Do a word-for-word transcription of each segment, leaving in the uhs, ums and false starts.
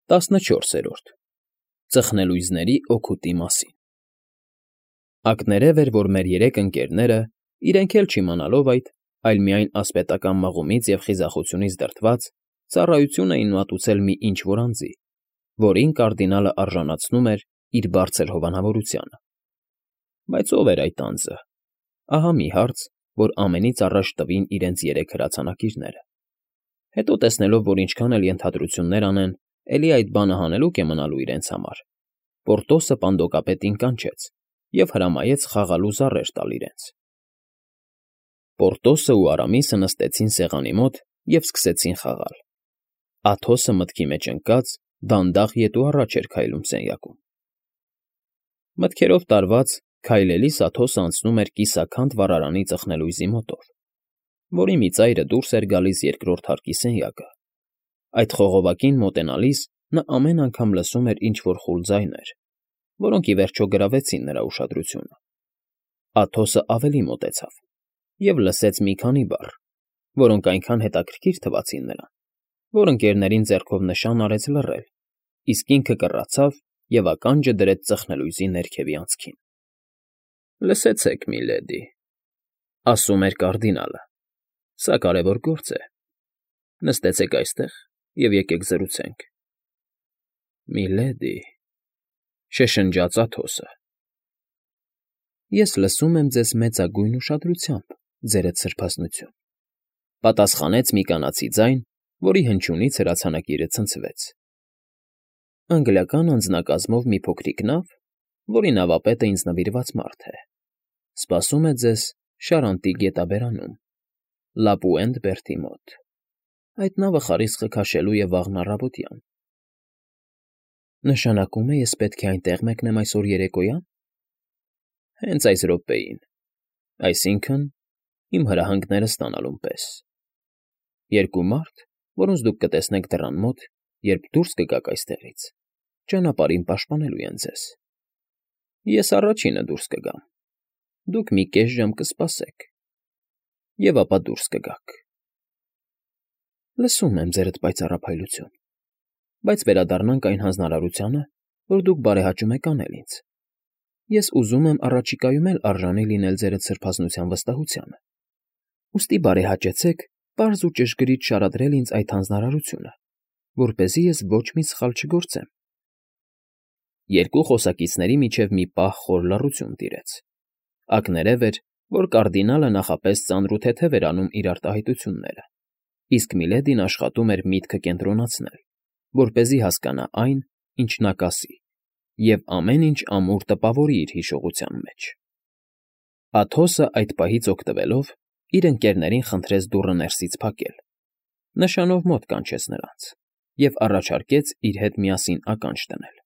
տասնչորսերորդ Ծխնելույզների օգուտի մասին Ակներև էր, որ մեր երեք ընկերները, իրենք էլ չիմանալով այդ, այլ միայն ասպետական մղումից և խիզախությունից դրդված, ծառայություն էին մատուցել մի ինչ֊որ անձի, որին կարդինալը արժանացնում էր իր բարձր հովանավորությանը։ Բայց ո՞վ էր այդ անձը։ Ահա մի հարց, որ ամենից առաջ տվին իրենց երեք հրացանակիրները։ Հետո տեսնելով, որ ինչքան էլ ենթադրություններ անեն, էլի այդ բանը հանելուկ է մնալու իրենց համար, Պորտոսը պանդոկապետին կանչեց և հրամայեց խաղալու զառեր տալ իրենց։ Պորտոսը ու Արամիսը նստեցին սեղանի մոտ և սկսեցին խաղալ։ Աթոսը մտքի մեջ ընկած, դանդաղ ետ ու առաջ էր քայլում սենյակում։ Մտքերով տարված, քայլելիս Աթոսը անցնում էր կիսաքանդ վառարանի ծխնելույզի մոտով, որի մի ծայրը դուրս էր գալիս երկրորդ հարկի սենյակը։ Այդ խողովակին մոտենալիս նա ամեն անգամ լսում էր ինչ֊որ խուլ ձայներ, որոնք ի վերջո գրավեցին նրա ուշադրությունը։ Աթոսը ավելի մոտեցավ և լսեց մի քանի բառ, որոնք այնքան հետաքրքիր թվացին նրան, որ ընկերներին ձեռքով նշան արեց լռել, իսկ ինքը կռացավ և ականջը դրեց ծխնելույզի ներքևի անցքին։ ֊ Լսեցեք, միլեդի,֊ ասում էր կարդինալը,֊ սա կարևոր գործ է։ Նստեցեք այստեղ և եկեք զրուցենք։ ֊ Միլեդի,֊ շշնջաց Աթոսը,֊ ես լսում եմ ձեզ մեծագույն ուշադրությամբ, ձերդ սրբազնություն,֊ պատասխանեց մի կանացի ձայն, որի հնչյունից հրացանակիրը ցնցվեց։ Անգլիական անձնակազմով մի փոքրիկ նավ, որի նավապետը ինձ նվիրված մարդ է, սպասում է ձեզ Շարանտի գետաբերանում, Լապուենտ բերդի մոտ։ Այդ նավը խարիսխը քաշելու է վաղն առավոտյան։ ֊ Նշանակում է ես պետք է այնտեղ մեկնեմ այսօր երեկոյա՞ն։ ֊ Հենց այս րոպեին, այսինքն՝ իմ հրահանգները ստանալուն պես։ Երկու մարդ, որոնց դուք կտեսնեք դռան մոտ, երբ դուրս կգաք այստեղից, ճանապարհին պաշտպանելու են ձեզ։ Ես առաջինը դուրս կգամ, դուք մի կես ժամ կսպասեք, և ապա դուրս կգաք։ ֊ Լսում եմ ձերդ պայծառափայլություն, բայց վերադառնանք այն հանձնարարությանը, որ դուք բարեհաճում եք անել ինձ։ Ես ուզում եմ առաջիկայում էլ արժանի լինել ձերդ սրբազնության վստահությանը, ուստի բարեհաճեցեք պարզ ու ճշգրիտ շարադրել ինձ այդ հանձնարարությունը, որպեսզի ես ոչ մի սխալ չգործեմ։ Երկու խոսակիցների միջև մի պահ խոր լռություն տիրեց։ Ակներև էր, որ կարդինալը նախապես ծանր ու թեթև էր անում իր արտահայտությունները, իսկ Միլեդին աշխատում էր միտքը կենտրոնացնել, որպեսզի հասկանա այն, ինչ նա կասի, և ամեն ինչ ամուր տպավորի իր հիշողության մեջ։ Աթոսը այդ պահից օգտվելով իր ընկերներին խնդրեց դուռը ներսից փակել, նշանով մոտ կանչեց նրանց և առաջարկեց իր հետ միասին ականջ դնել։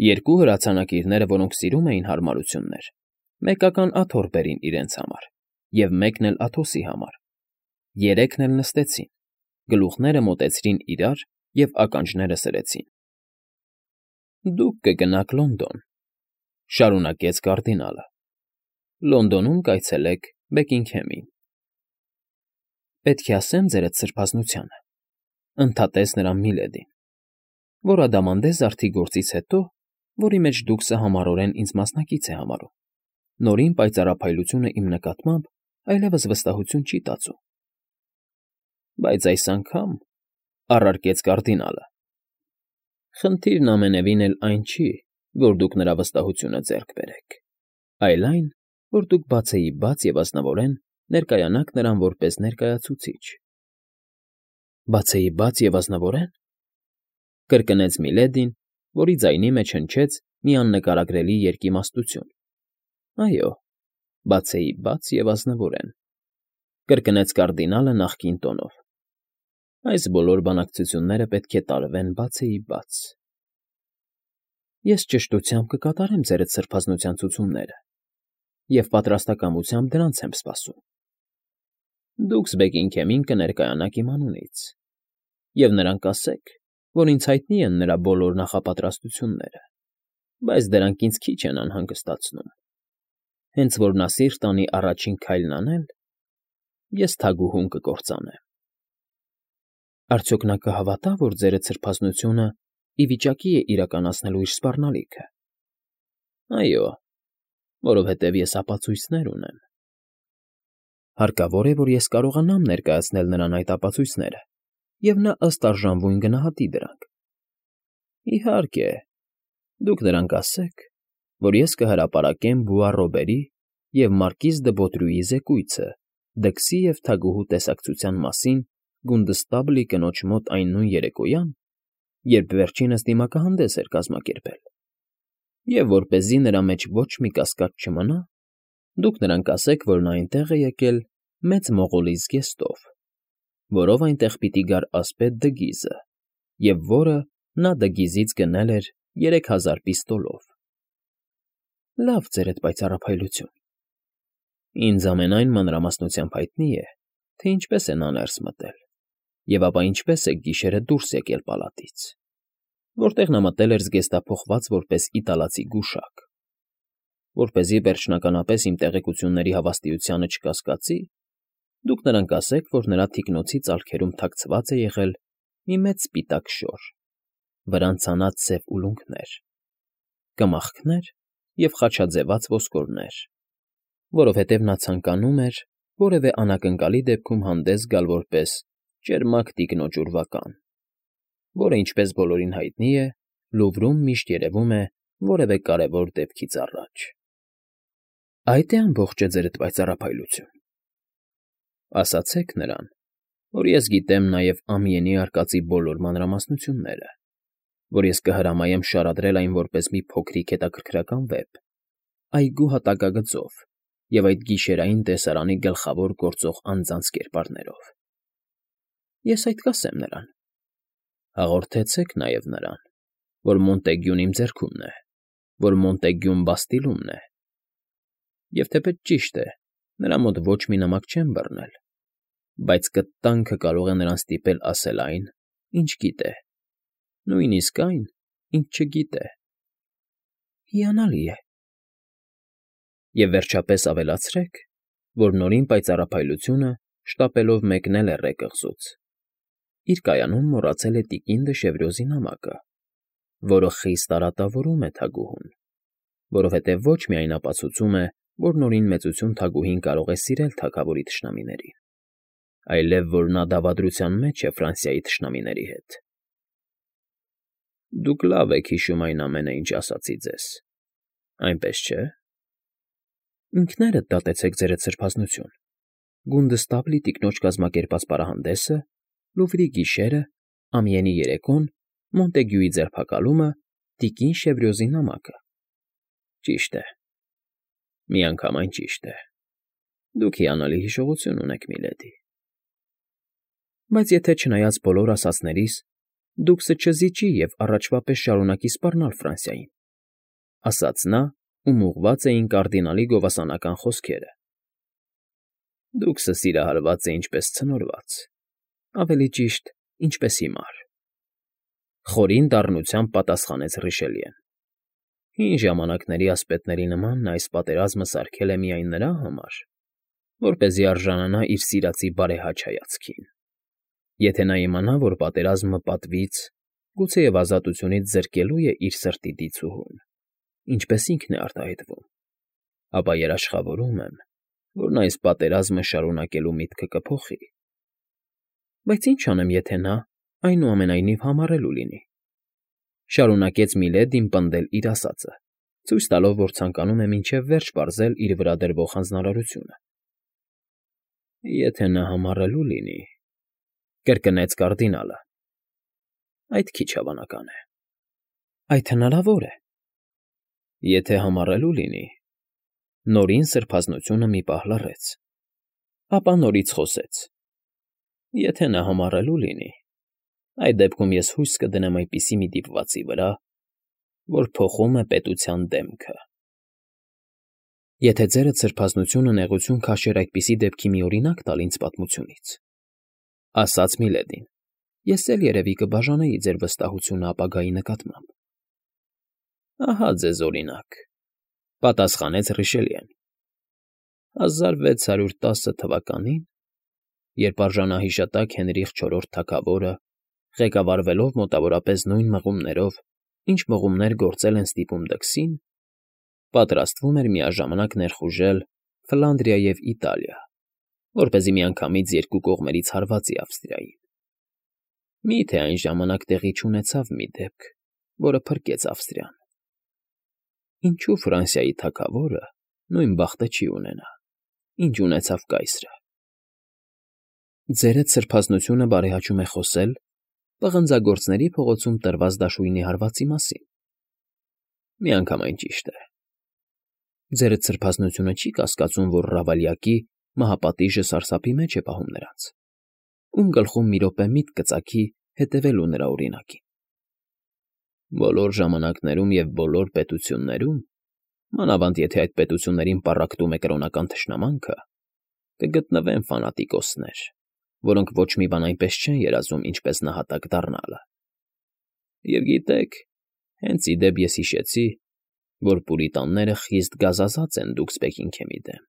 Երկու հրացանակիրները, որոնք սիրում էին հարմարություններ, մեկական աթոռ բերին իրենց համար և մեկն էլ Աթոսի համար։ Երեքն էլ նստեցին, գլուխները մոտեցրին իրար և ականջները սրեցին։ ֊ Դուք կգնաք Լոնդոն,֊ շարունակեց կարդինալը, Լոնդոնում կայցելեք Բեքինգհեմին։ ֊ Պետք է ասեմ ձերդ սրբազնությանը,֊ ընդհատեց նրան Միլեդին, որ Ադամանդե զարդի գործից հետո, որի մեջ դուք սահմանորեն ինձ մասնակից է համարում, նորին պայծառափայլությունը իմ նկատմամբ այլևս վստահություն չի տածում։ ֊ Բայց այս անգամ,֊ առարկեց կարդինալը,֊ խնդիրն ամենևին էլ այն չի, որ դուք նրա վստահությունը ձեռք բերեք, այլ այն, որ դուք բացեիբաց և ազնվորեն ներկայանաք նրան որպես ներկայացուցիչ։ ֊ Բացեիբաց և ազնվորե՞ն,֊ կրկնեց Միլեդին, որի ձայնի մեջ հնչեց մի աննկարագրելի երկիմաստություն։ ֊ Այո, բացեիբաց և ազնվորեն,֊ կրկնեց կարդինալը նախկին տոնով։ Այս բոլոր բանակցությունները պետք է տարվեն բացեիբաց։ ֊ Ես ճշտությամբ կկատարեմ ձերդ սրբազնության ցուցումները և պատրաստակամությամբ դրանց եմ սպասում։ Դուքս Բեքինգհեմին կներկայանաք իմ անունից, և նրան կասեք, որ ինձ հայտնի են նրա բոլոր նախապատրաստությունները, բայց դրանք ինձ քիչ են անհանգստացնում։ Հենց որ նա սիրտ անի առաջին քայլն անել, ես թագուհուն կկործանեմ։ ֊ Արդյոք նա կհավատա, որ ձերդ սրբազնությունը ի վիճակի է իրականացնելու իր սպառնալիքը։ Այո, որովհետև ես ապացույցներ ունեմ։ Հարկավոր է, որ ես կարողանամ ներկայացնել նրան այդ ապացույցները, և նա ըստ արժանվույն գնահատի դրանք։ Իհարկե, դուք նրան կասեք, որ ես կհրապարակեմ Բուառոբերի և մարկիզ դը Բոտրյուի զեկույցը դքսի և թագուհու տեսակցության մասին Գունդստաբլի կնոջ մոտ այն նույն երեկոյան, երբ վերջինս դիմակահանդես էր կազմակերպել, և որպեսզի նրա մեջ ոչ մի կասկած չմնա, դուք նրան կասեք, որ նա այնտեղ է եկել Մեծ Մողոլի զգեստով, որով այնտեղ պիտի գար ասպետ Դգիզը, և որը նա Դգիզից գնել էր երեք հազար պիստոլով։ Լավ, ձերդ պայծառափայլություն։ Ինձ ամենայն մանրամասնությամբ հայտնի է, թե ինչպես է նա ներս մտել, և ապա ինչպես է գիշերը դուրս եկել պալատից, որտեղ նա մտել էր զգեստափոխված որպես իտալացի գուշակ։ Որպեսզի վերջնականապես իմ տեղեկությունների հավաստիությանը չկասկածի, դուք նրան կասեք, որ նրա թիկնոցի ծալքերում թաքցված է եղել մի մեծ սպիտակ շոր, վրան ցանած սև ուլունքներ, կմախքներ և խաչաձևած ոսկորներ, որովհետև նա ցանկանում էր որևէ անակնկալի դեպքում հանդես գալ որպես ճերմակ տիկնոջ ուրվական, որը, ինչպես բոլորին հայտնի է, Լուվրում միշտ երևում է որևէ կարևոր դեպքից առաջ։ Այդ է ամբողջը, ձերդ պայծառափայլություն։ Ասացեք նրան, որ ես գիտեմ նաև ամիենի արկածի բոլոր մանրամասնությունները, որ ես կհրամայեմ շարադրել այն որպես մի փոքրիկ հետաքրքրական վեպ, այգու հատակագծով և այդ գիշերային տեսարանի գլխավոր գործող անձանց կերպարներով։ Ես այդ կասեմ նրան։ Հաղորդեցեք նաև նրան, որ Մոնտեգյուն իմ ձեռքումն է, որ Մոնտեգյուն Բաստիլումն է, և թեպետ ճիշտ է, նրա մոտ ոչ մի նամակ չեմ բռնել, բայց կտանքը կարող է նրան ստիպել ասել այն, ինչ գիտե, նույնիսկ այն, ինչ չգիտե։ Հիանալի է։ Եվ վերջապես ավելացրեք, որ Նորին պայծառափայլությունը շտապելով մեկնել է Ռե կղզուց, իր կայանում մոռացել է տիկին Դշևրյոզի նամակը, որը խիստ արատավորում է թագուհուն, որովհետև ոչ միայն ապացուցում է, որ Նորին մեծություն թագուհին կարող է սիրել թագավորի թշնամիներին, այլև որ նա դավադրության մեջ է Ֆրանսիայի թշնամիների հետ։ Դուք լավ եք հիշում այն ամենը, ինչ ասացի ձեզ, այնպես չէ՞։ Ինքներդ դատեցեք ձերդ սրբազնություն, Գունդստաբլի տիկնոջ կազմակերպած պարահանդեսը, Լուվրի գիշերը, ամիենի երեկոն, Մոնտեգյուի ձերբակալումը, տիկին Շևրյոզի նամակը։ Ճիշտ է, միանգամայն ճիշտ է։ Դուք հիանալի հիշողություն ունեք, միլեդի։ Բայց եթե չնայած բոլոր ասածներիս, դուք սչզիջի և առաջվա պես շարունակի սպառնալ Ֆրանսիային, ասաց նա, ում ուղղված էին կարդինալի գովասանական խոսքերը։ Դուք սսիրահարված է ինչպես ցնորված, ավելի ճիշտ, ինչպես հիմար։ Խորին դառնությամբ պատասխանեց Ռիշելիեն։ Հին ժամանակների ասպետների նման նա այս պատերազմը սարքել է միայն նրա համար, որպեսզի արժանանա իր սիրածի բարեհաճ հայացքին։ Եթե նա իմանա, որ պատերազմը պատվից, գուցեև ազատությունից զրկելու է իր սրտի դիցուհուն, ինչպես ինքն է արտահայտվում, ապա երաշխավորում եմ, որ նա այս պատերազմը շարունակելու միտքը կփոխի։ Բայց ինչ անեմ, եթե նա, այնուամենայնիվ, համառելու լինի։ Շարունակեց Միլեդին պնդել իր ասածը, ցույց տալով, որ ցանկանում է մինչև վերջ պարզել իր վրա դրվող հանձնարարությունը։ Եթե նա համառելու լինի, կրկնեց կարդինալը, այդ քիչ հավանական է։ Այդ հնարավոր է։ Եթե համառելու լինի, Նորին սրբազնությունը մի պահ լռեց, ապա նորից խոսեց. Եթե նա համառելու լինի, այդ դեպքում ես հույս կդնեմ այնպիսի մի դիպվածի վրա, որ փոխում է պետության դեմքը։ Եթե ձերդ սրբազնությունը նեղություն քաշեր այդպիսի դեպքի մի օրինակ տալ ինձ պատմությունից, ասաց Միլեդին, ես էլ երևի կբաժանեի ձեր վստահությունը ապագայի նկատմամբ։ Ահա ձեզ օրինակ, պատասխանեց Ռիշելիեն։ հազար վեց հարյուր տասը թվականին, երբ արժանահիշատակ Հենրիխ չորրորդ թագավորը ղեկավարվելով մոտավորապես նույն մղումներով, ինչ մղումներ գործել են ստիպում դքսին, պատրաստվում էր միաժամանակ ներխուժել Ֆլանդրիա և Իտալիա, որպեսզի միանգամից երկու կողմերից հարվածի Ավստրիային։ Մի՞թե այն ժամանակ տեղի չունեցավ մի դեպք, որը փրկեց Ավստրիան։ Ինչու Ֆրանսիայի թագավորը նույն բախտը չի ունենա, ինչ ունեցավ կայսրը։ Ձերդ սրբազնությունը բարեհաճում է խոսել պղնձագործների փողոցում տրված դաշույնի հարվածի մասին։ Միանգամայն ճիշտ է։ Ձերդ սրբազնությունը չի կասկածում, որ Ռավալյակի մահապատիժը սարսափի մեջ է պահում նրանց, ում գլխում մի րոպե միտք կծագի հետևելու նրա օրինակին։ Բոլոր ժամանակներում և բոլոր պետություններում, մանավանդ եթե այդ պետություններին պառակտում է կրոնական թշնամանքը, կգտնվեն ֆանատիկոսներ, որոնք ոչ մի բան այնպես չեն երազում, ինչպես նահատակ դառնալը։ Եվ գիտեք, հենց ի դեպ ես հիշեցի, որ պուրիտանները խիստ գազազած են Դուքսբեքինգեմի դեմ,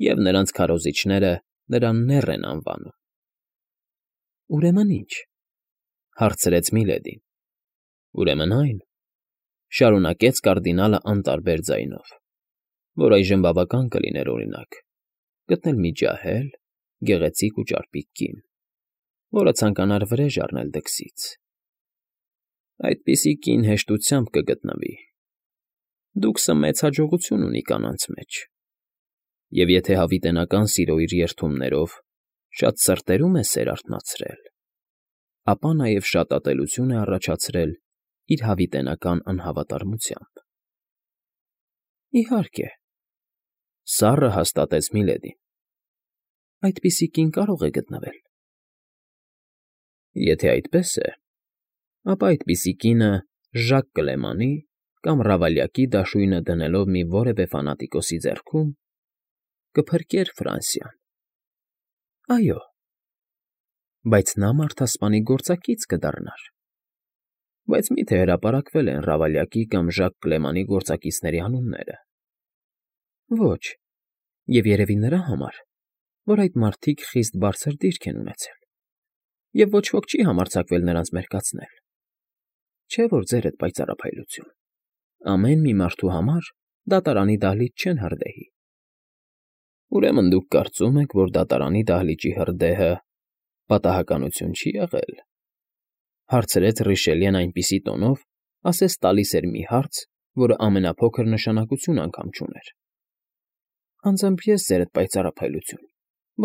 և նրանց քարոզիչները նրան նեռ են անվանում։ Ուրեմն ի՞նչ,֊ հարցրեց Միլեդին։ Ուրեմն այն,֊ շարունակեց կարդինալը անտարբեր ձայնով, որ այժմ բավական կլիներ օրինակ, գտնել մի ջահել, գեղեցիկ ու ճարպիկ կին, որը ցանկանար վրեժ առնել դքսից։ Այդպիսի կին հեշտությամբ կգտնվի։ Դուքսը մեծ հաջողություն ունի կանանց մեջ, և եթե հավիտենական սիրո իր երդումներով շատ սրտերում է սեր արթնացրել, ապա նաև շատ ատելություն է առաջացրել իր հավիտենական անհավատարմությամբ։ Իհարկե,֊ սառը հաստատեց Միլեդին։ Այդպիսի կին կարող է գտնվել։ Եթե այդպես է, ապա այդպիսի կինը Ժակ Կլեմանի կամ Ռավալյակի դաշույնը դնելով մի որևէ ֆանատիկոսի ձեռքում կփրկեր Ֆրանսիան։ Այո, բայց նա մարդասպանի գործակից կդառնար։ Բայց մի՞թե հրապարակվել են Ռավալյակի կամ Ժակ Կլեմանի գործակիցների անունները։ Ոչ, և երևի նրա համար, որ այդ մարդիկ խիստ բարձր դիրք են ունեցել, և ոչ ոք չի համարձակվել նրանց մերկացնել։ Չէ՞ որ ձերդ պայծառափայլություն, ամեն մի մարդու համար դատարանի դահլիճ չեն հրդեհի։ Ուրեմն դուք կարծում եք, որ դատարանի դահլիճի հրդեհը պատահականություն չի եղել,֊ հարցրեց Ռիշելիեն այնպիսի տոնով, ասես տալիս էր մի հարց, որը ամենափոքր նշանակություն անգամ չուներ։ Անձամբ ես, ձերդ պայծառափայլություն,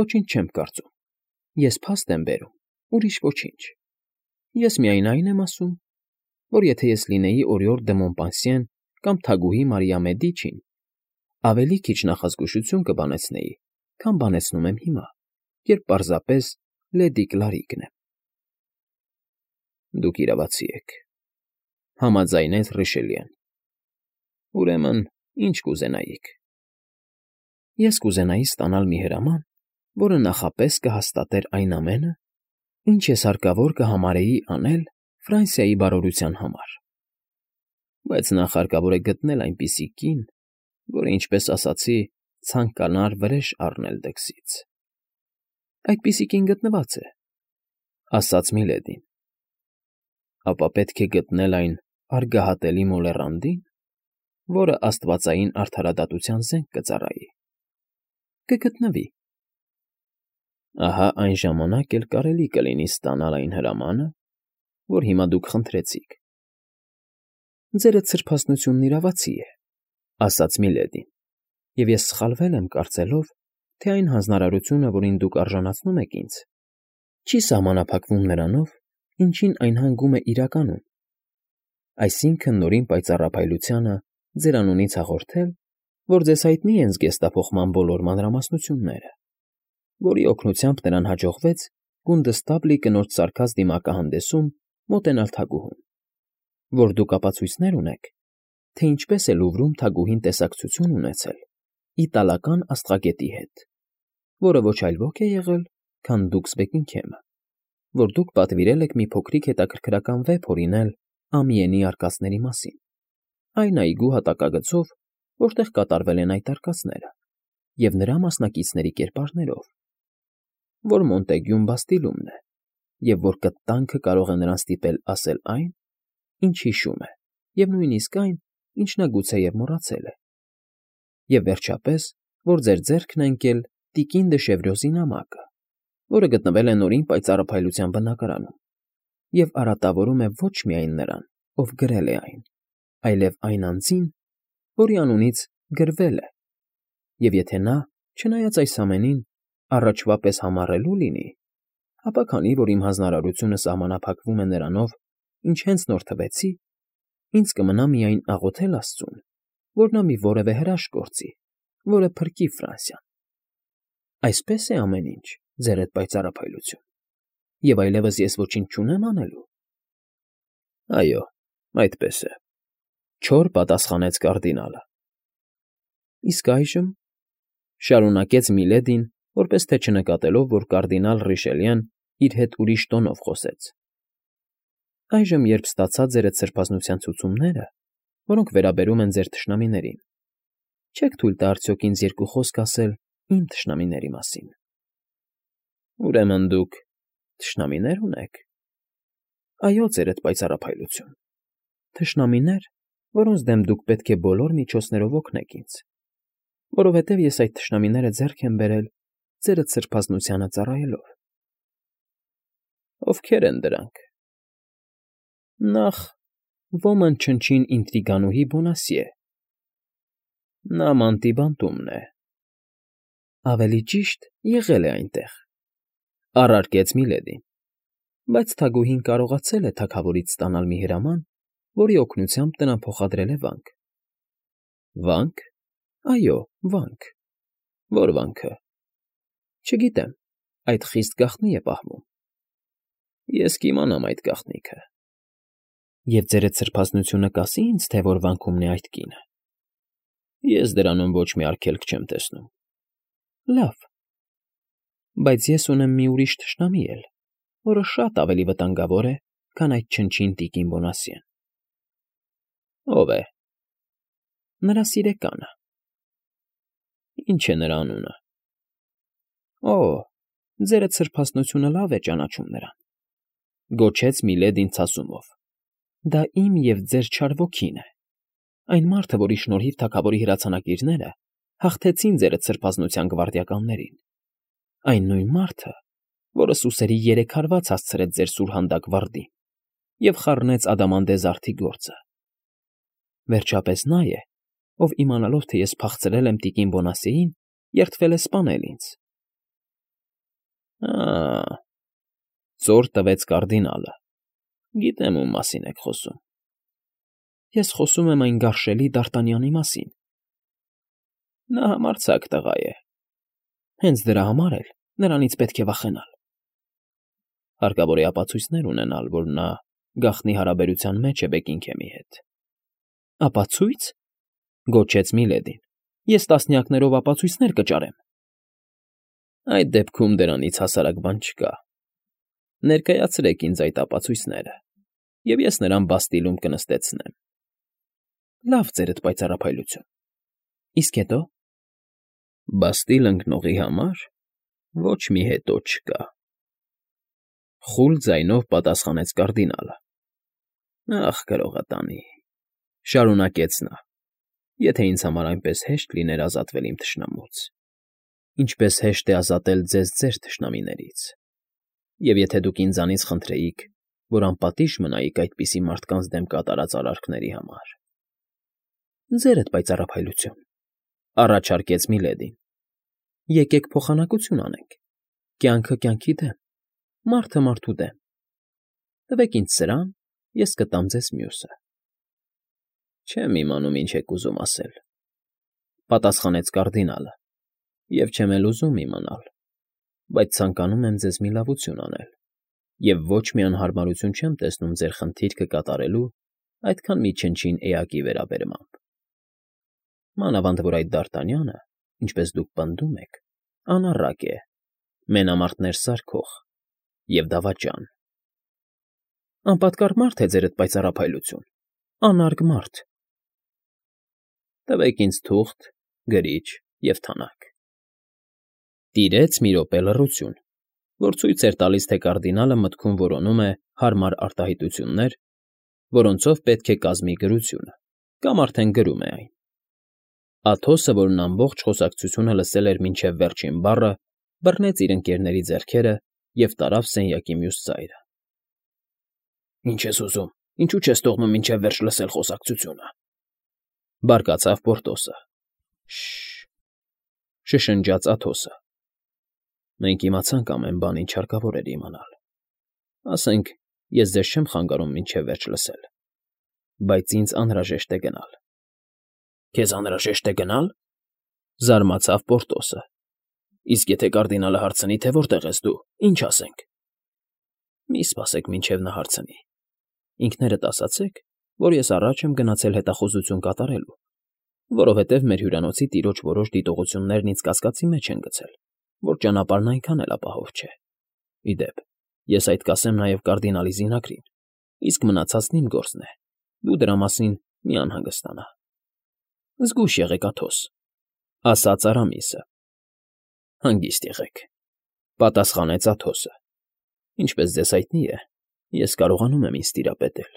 ոչինչ չեմ կարծում, ես փաստ եմ բերում, ուրիշ ոչինչ։ Ես միայն այն եմ ասում, որ եթե ես լինեի օրիորդ դը Մոնպանսիեն կամ թագուհի Մարիա Մեդիչին, ավելի քիչ նախազգուշություն կբանեցնեի, քան բանեցնում եմ հիմա, երբ պարզապես լեդի Կլարիկն եմ։ Դուք իրավացի եք,֊ համաձայնեց Ռիշելիեն։ Ուրեմն ի՞նչ կուզենայիք։ Ես կուզենայի ստանալ մի հրաման, որը նախապես կհաստատեր այն ամենը, ինչ ես հարկավոր կհամարեի անել Ֆրանսիայի բարօրության համար։ Բայց նախ հարկավոր է գտնել այնպիսի կին, որը, ինչպես ասացի, ցանկանար վրեժ առնել դքսից։ Այդպիսի կին գտնված է,֊ ասաց Միլեդին։ Ապա պետք է գտնել այն արգահատելի մոլեռանդի՞ն, որը աստվածային արդարադատության զենք կծառայի։ Կգտնվի։ Ահա այն ժամանակ էլ կարելի կլինի ստանալ այն հրամանը, որ հիմա դուք խնդրեցիք։ Ձերդ սրբազնությունն իրավացի է,֊ ասաց Միլեդին, և ես սխալվել եմ կարծելով, թե այն հանձնարարությունը, որին դուք արժանացնում եք ինձ, չի սահմանափակվում նրանով, ինչին այն հանգում է իրականում, այսինքն նորին պայծառափայլությանը ձեր անունից հաղորդել, որ ձեզ հայտնի են զգեստափոխման բոլոր մանրամասնությունները, որի օգնությամբ նրան հաջողվեց Կունդստաբլի կնոջ սարքած դիմակահանդեսում մոտենալ թագուհուն, որ դուք ապացույցներ ունեք, թե ինչպես է Լուվրում թագուհին տեսակցություն ունեցել իտալական աստղագետի հետ, որը ոչ այլ ոք է եղել, քան Դուքսբեքինգեմը, որ դուք պատվիրել եք մի փոքրիկ հետաքրքրական վեպ հորինել Ամիենի արկածների մասին, այն այգու հատակագծով, որտեղ կատարվել են այդ արկածները, և նրա մասնակիցների կերպարներով, որ Մոնտեգյուն Բաստիլումն է, և որ կտանքը կարող է նրան ստիպել ասել այն, ինչ հիշում է, և նույնիսկ այն, ինչ նա գուցեև մոռացել է, և, վերջապես, որ ձեր ձեռքն է ընկել տիկին դը Շևրոզի նամակը, որը գտնվել է Նորին պայծառափայլության բնակարանում և արատավորում է ոչ միայն նրան, ով գրել է այն, այլև այն անձին, որի անունից գրվել է, և եթե նա, չնայած այս ամենին, առաջվա պես համառելու լինի, ապա քանի որ իմ հանձնարարությունը սահմանափակվում է նրանով, ինչ հենց նոր թվեցի, ինձ կմնա միայն աղոթել աստծուն, որ նա մի որևէ հրաշք գործի, որը փրկի Ֆրանսիան։ Այսպե՞ս է ամեն ինչ, ձերդ պայծառափայլություն, և այլևս ես ոչինչ չունեմ անելու։ ֊ Այո, այդպես է,֊ չոր պատասխանեց կարդինալը։ ֊ Իսկ այժմ,֊ շարունակեց Միլեդին, որպես թե չնկատելով, որ կարդինալ Ռիշելիեն իր հետ ուրիշ տոնով խոսեց,֊ այժմ, երբ ստացա ձերդ սրբազնության ցուցումները, որոնք վերաբերում են ձեր թշնամիներին, չե՞ք թույլ տա արդյոք ինձ երկու խոսք ասել իմ թշնամիների մասին։ ֊ Ուրեմն դուք թշնամինե՞ր ունեք։ ֊ Այո, ձերդ պայծառափայլություն, թշնամիներ, որոնց դեմ դուք պետք է բոլոր միջոցներով օգնեք ինձ, որովհետև ես այդ թշնամիները ձեռք եմ բերել ձերդ սրբազնությանը ծառայելով։ ֊ Ովքե՞ր են դրանք։ ֊ Նախ, ոմն չնչին ինտրիգանուհի Բոնասիե։ ֊ Նա Մանտիբանտումն է։ ֊ Ավելի ճիշտ, եղել է այնտեղ,֊ առարկեց Միլեդին, բայց թագուհին կարողացել է թագավորից ստանալ մի հրաման, որի օգնությամբ նրան փոխադրել է վանք։ ֊ Վա՞նք։ ֊ Այո, վանք։ ֊ Ո՞ր վանքը։ ֊ Չգիտեմ, այդ խիստ գաղտնի է պահվում։ ֊ Ես կիմանամ այդ գաղտնիքը։ ֊ Եվ ձերդ սրբազնությունը կասի՞ ինձ, թե որ վանքումն է այդ կինը։ ֊ Ես դրանում ոչ մի արգելք չեմ տեսնում։ ֊ Լավ։ Բայց ես ունեմ մի ուրիշ թշնամի էլ, որը շատ ավելի վտանգավոր է, քան այդ չնչին տիկին Բոնասիեն։ ֊ Ո՞վ է։ ֊ Նրա սիրեկանը։ ֊ Ի՞նչ է նրա անունը։ ֊ Օ, ձերդ սրբազնությունը լավ է ճանաչում նրան,֊ գոչեց Միլեդին ցասումով,֊ դա իմ և ձեր չար ոգին է, այն մարդը, որի շնորհիվ թագավորի հրացանակիրները հաղթեցին ձերդ սրբազնության գվարդիականներին, այն նույն մարդը, որը սուսերի երեք հարված հասցրեց ձեր սուրհանդակ վարդին և խառնեց Ադամանդե զարդի գործը, վերջապես նա է, ով իմանալով, թե ես փախցրել եմ տիկին Բոնասիեին, երդվել է սպանել ինձ։ ֊ Ա՜, ծոր տվեց կարդինալը,֊ գիտեմ ում մասին եք խոսում։ ֊ Ես խոսում եմ այն գարշելի Դարտանյանի մասին։ ֊ Նա համարձակ տղա է։ ֊ Հենց դրա համար էլ նրանից պետք է վախենալ։ ֊ Հարկավոր է ապացույցներ ունենալ, որ նա գաղտնի հարաբերության մեջ է Բեքինգհեմի հետ։ ֊ Ապացույց,֊ գոչեց Միլեդին,֊ ես տասնյակներով ապացույցներ կճարեմ։ ֊ Այդ դեպքում դրանից հասարակ բան չկա։ Ներկայացրեք ինձ այդ ապացույցները, և ես նրան Բաստիլում կնստեցնեմ։ ֊ Լավ, ձերդ պայծառափայլություն։ ֊ Իսկ հետո։ ֊ Բաստիլ ընկնողի համար ոչ մի հետո չկա,֊ խուլ ձայնով պատասխանեց կարդինալը։ ֊ Ախ, գրողատանի,֊ շարունակեց նա,֊ եթե ինձ համար այնպես հեշտ լիներ ազատվել իմ թշնամուց, ինչպես հեշտ է ազատել ձեզ ձեր թշնամիներից, և եթե դուք ինձանից խնդրեիք, որ անպատիժ մնայիք այդպիսի մարդկանց դեմ կատարած արարքների համար։ ֊ Ձերդ պայծառափայլություն,֊ առաջարկեց Միլեդին,֊ եկեք փոխանակություն անենք, կյանքը կյանքի դեմ, մարդը մարդու դեմ։ Տվեք ինձ սրան, ես կտամ ձեզ մյուսը։ ֊ Չեմ իմանում ինչ եք ուզում ասել,֊ պատասխանեց կարդինալը,֊ և չեմ էլ ուզում իմանալ, բայց ցանկանում եմ ձեզ մի լավություն անել և ոչ մի անհարմարություն չեմ տեսնում ձեր խնդիրքը կատարելու այդքան մի չնչին էակի վերաբերմամբ։ Մանավանդ որ այդ Դարտանյանը, ինչպես դուք պնդում եք, անառակ է, մենամարտներ սարքող և դավաճան։ ֊ Անպատկառ մարդ է, ձերդ պայծառափայլություն, անարգ մարդ։ ֊ Տվեք ինձ թուղթ, գրիչ և թանակ։ Տիրեց մի րոպե լռություն, որ ցույց էր տալիս, թե կարդինալը մտքում որոնում է հարմար արտահայտություններ, որոնցով պետք է կազմի գրությունը, կամ արդեն գրում է այն։ Աթոսը, որն ամբողջ խոսակցությունը լսել էր մինչև վերջին բառը, բռնեց իր ընկերների ձեռքերը և տարավ սենյակի մյուս ծայրը։ ֊ Ինչ ես ուզում, ինչու չես թողնում մինչև վերջ լսել խոսակցությունը,֊ բարկացավ Պորտոսը։ ֊ Շ֊շ֊շ,֊ շշնջաց Աթոսը։ Մենք իմացանք ամեն բան, ինչ հարկավոր էր իմանալ։ Ասենք, ես ձեզ չեմ խանգարում մինչև վերջ լսել, բայց ինձ անհրաժեշտ է գնալ։ ֊ Քեզ անհրաժեշտ է գնալ,֊ զարմացավ Պորտոսը։ Իսկ եթե կարդինալը հարցնի, թե որտեղ ես դու, ի՞նչ ասենք։ ֊ Մի սպասեք, մինչև նա հարցնի։ Ինքներդ ասացեք, որ ես առաջ եմ գնացել հետախուզություն կատարելու, որովհետև մեր հյուրանոցի տիրոջ որոշ դիտողություններն ինձ կասկածի մեջ են գցել, որ ճանապարհն այնքան էլ ապահով չէ։ Ի դեպ, ես այդ կասեմ նաև կարդինալի զինակրին, իսկ մնացածն իմ գործն է, դու դրա մասին մի անհանգստանա։ ֊ Զգույշ եղեք, Աթոս,֊ ասաց Արամիսը։ ֊ Հանգիստ եղեք,֊ պատասխանեց Աթոսը։ Ինչպես ձեզ հայտնի է, ես կարողանում եմ ինձ տիրապետել։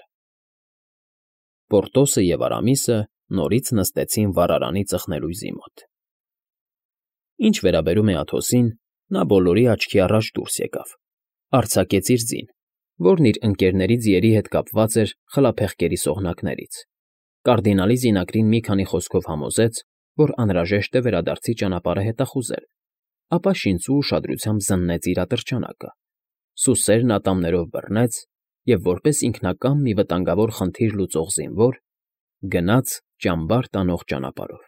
Պորտոսը և Արամիսը նորից նստեցին վառարանի ծխնելույզի մոտ։ Ինչ վերաբերում է Աթոսին, նա բոլորի աչքի առաջ դուրս եկավ, արձակեց իր ձին, որն իր ընկերների ձիերի հետ կապված էր խլափեղկերի սողնակներից, կարդինալի զինակրին մի քանի խոսքով համոզեց, որ անհրաժեշտ է վերադարձի ճանապարհը հետախուզել, ապա շինծու ուշադրությամբ զննեց իր ատրճանակը, սուսերն ատամներով բռնեց և, որպես ինքնակամ մի վտանգավոր խնդիր լուծող զինվոր, գնաց ճամբար տանող ճանապարհով։